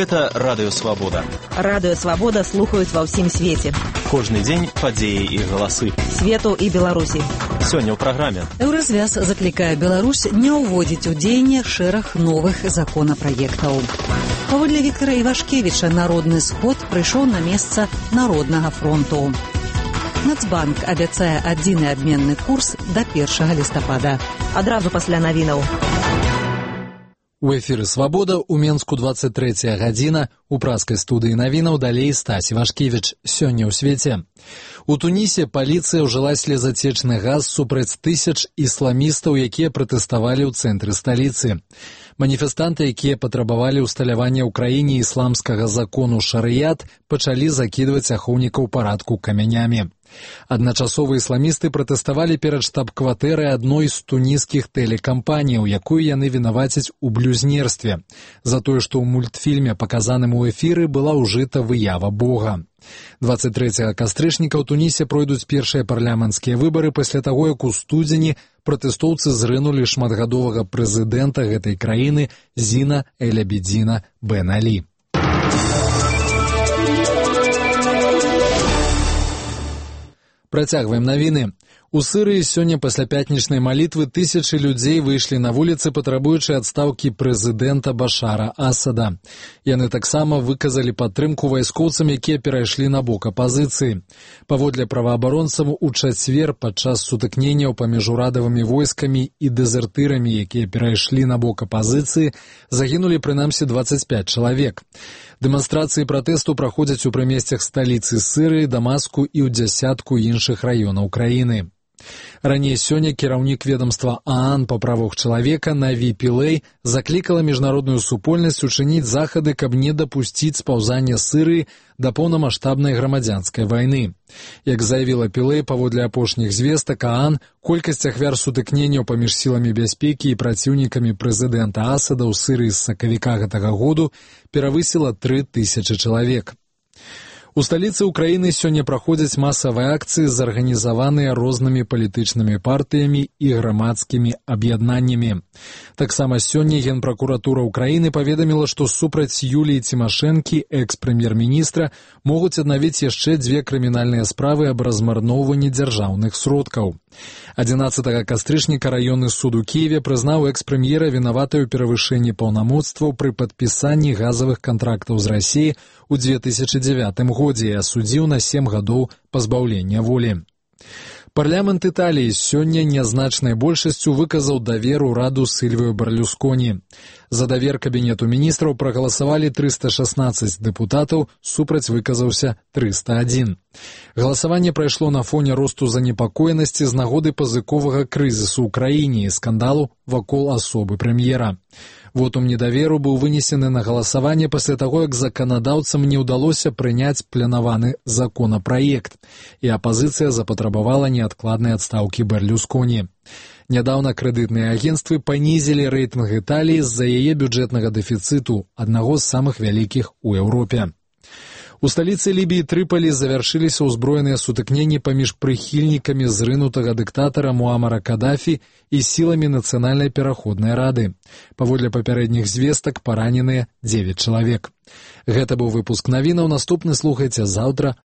Гэта Радыё Свабода. Радыё Свабода слухаюць ва ўсім свеце. Кожны дзень падзеі і галасы. Свету і Беларусі. Сёння ў праграме. Еўразвяз заклікае Беларусь не ўводзіць у дзеянне шэраг новых законапраектаў. Паводле Віктара Івашкевіча народны сход прыйшоў на месца Народнага фронту. Нацбанк абяцае адзіны абменны курс да 1 лістапада. Адразу пасля навінаў. У эфіры «Свабода» у Менску 23 гадзіна. У праскай студыі навінаў далей Стась Івашкевіч. Сёння ў свеце. У Тунісе паліцыя ўжыла слезацечны газ супраць тысяч ісламістаў, якія пратэставалі ў цэнтры сталіцы. Маніфестанты, якія патрабавалі ўсталявання ў краіне ісламскага закону шарыят, пачалі закідваць ахоўнікаў парадку камянямі. Адначасова ісламісты пратэставалі перад штаб-кватэрай адной з туніскіх тэлекампаніяў, якую яны вінавацяць у блюзнерстве, за тое, што ў мультфільме, паказаным у эфіры, была ўжыта выява Бога. 23 кастрычніка ў Тунісе пройдуць першыя парламенцкія выбары пасля таго, як у студзені пратэстоўцы зрынулі шматгадовага прэзідэнта гэтай краіны Зіна Эль-Абідзіна Бен Алі. Працягваем навіны. У Сырыі сёння пасля пятнічнай малітвы тысячы людзей выйшлі на вуліцы, патрабуючы адстаўкі прэзідэнта Башара Асада. Яны таксама выказалі падтрымку вайскоўцам, якія перайшлі на бок апазіцыі. Паводле праваабаронцаў, у чацвер падчас сутыкненняў паміж урадавымі войскамі і дэзертырамі, якія перайшлі на бок апазіцыі, загінулі прынамсі 25 чалавек. Дэманстрацыі пратэсту праходзяць у прымесцях сталіцы Сырыі, Дамаску і ў дзясятку іншых раёнаў краіны. Раней сёння кіраўнік ведомства ААН па правах чалавека Наві Пілэй заклікала міжнародную супольнасць учыніць захады, каб не дапусціць спаўзання Сырыі да поўнамаштабнай грамадзянскай вайны. Як заявіла Пілэй, паводле апошніх звестак ААН, колькасць ахвяр сутыкненняў паміж сіламі бяспекі і праціўнікамі прэзідэнта Асада ў Сырыі з сакавіка гэтага году перавысіла 3000 чалавек. У сталіцы Украіны сёння праходзяць масавыя акцыі, зарганізаваныя рознымі палітычнымі партыямі і грамадскімі аб'яднаннямі. Таксама сёння Генпракуратура Украіны паведаміла, што супраць Юліі Цімашэнкі, экс-прэм'ер-міністра, могуць аднавіць яшчэ 2 крымінальныя справы аб размарноўванні дзяржаўных сродкаў. 11 кастрычніка раённы суд у Кіеве прызнаў экс-прэм'ера вінаватай у перавышэнні паўнамоцтваў пры падпісанні газавых кантрактаў з Расіі ў 2009 годзе і асудзіў на 7 гадоў пазбаўлення волі. Парламент Італіі сёння нязначнай большасцю выказаў давер ураду Сільвіо Берлюсконі. За давер кабінету міністраў прагаласавалі 316 дэпутатаў, супраць выказаўся 301. Галасаванне прайшло на фоне росту занепакоенасці з нагоды пазыковага крызісу ў краіне і скандалу вакол асобы прэм'ера. Вотум недаверу быў вынесены на галасаванне пасля таго, як заканадаўцам не ўдалося прыняць планаваны законапраект, і апазіцыя запатрабавала неадкладнай адстаўкі Берлюсконі. Нядаўна крэдытныя агенцтвы панізілі рэйтынг Італіі з-за яе бюджэтнага дэфіцыту, аднаго з самых вялікіх у Еўропе. У сталіцы Лібіі Трыполі завяршыліся ўзброеныя сутыкненні паміж прыхільнікамі зрынутага дыктатара Муамара Кадафі і сіламі Нацыянальнай пераходнай рады. Паводле папярэдніх звестак параненыя 9 чалавек. Гэта быў выпуск навінаў, наступны слухайце заўтра